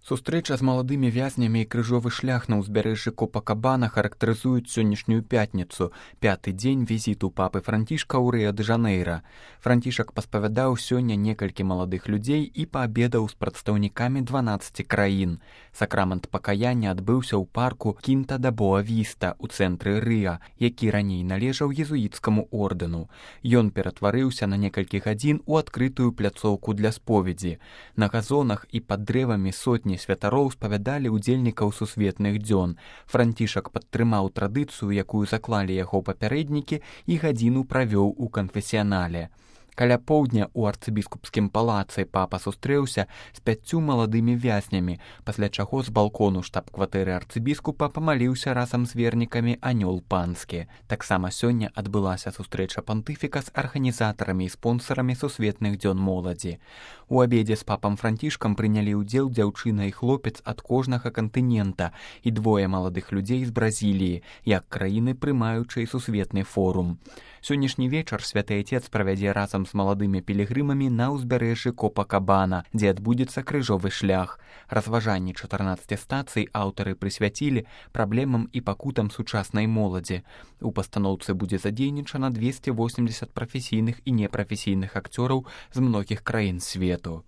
Сустрэча з маладымі вязнямі і крыжовы шлях на ўзбярэжжы Копакабана характарызуюць сённяшнюю пятніцу, пяты дзень візіту папы Францішка ў Рыа-дэ-Жанэйра. Францішак паспавядаў сёння некалькі маладых людзей і паабедаў з прадстаўнікамі 12 краін. Сакрамент пакаяння адбыўся ў парку Кінта-да-Боа-Віста ў цэнтры Рыа, які раней належаў езуіцкаму ордэну. Ён ператварыўся на некалькі гадзін у адкрытую пляцоўку для споведзі. На газонах і пад дрэвамі сотні святароў спавядалі ўдзельнікаў сусветных дзён. Францішак падтрымаў традыцыю, якую заклалі яго папярэднікі, і гадзіну правёў у канфесіянале. Каля поўдня ў арцыбіскупскім палацы папа сустрэўся з 5 маладымі вязнямі, пасля чаго з балкону штаб-кватэры арцыбіскупа памаліўся разам з вернікамі анёл панскі. Таксама сёння адбылася сустрэча пантыфіка з арганізатарамі і спонсарамі сусветных дзён моладзі. У абедзе з папам Францішкам прынялі ўдзел дзяўчына і хлопец ад кожнага кантынента і 2 маладых людзей з Бразіліі, як краіны, прымаючай сусветны форум. Сённяшні вечар святы Айцец правядзе разам з маладымі пілігрымамі на ўзбярэжжы Копакабана, дзе адбудзецца крыжовы шлях. Разважанні 14 стацый аўтары прысвяцілі праблемам і пакутам сучаснай моладзі. У пастаноўцы будзе задзейнічана 280 прафесійных і непрафесійных акцёраў з многіх краін свету.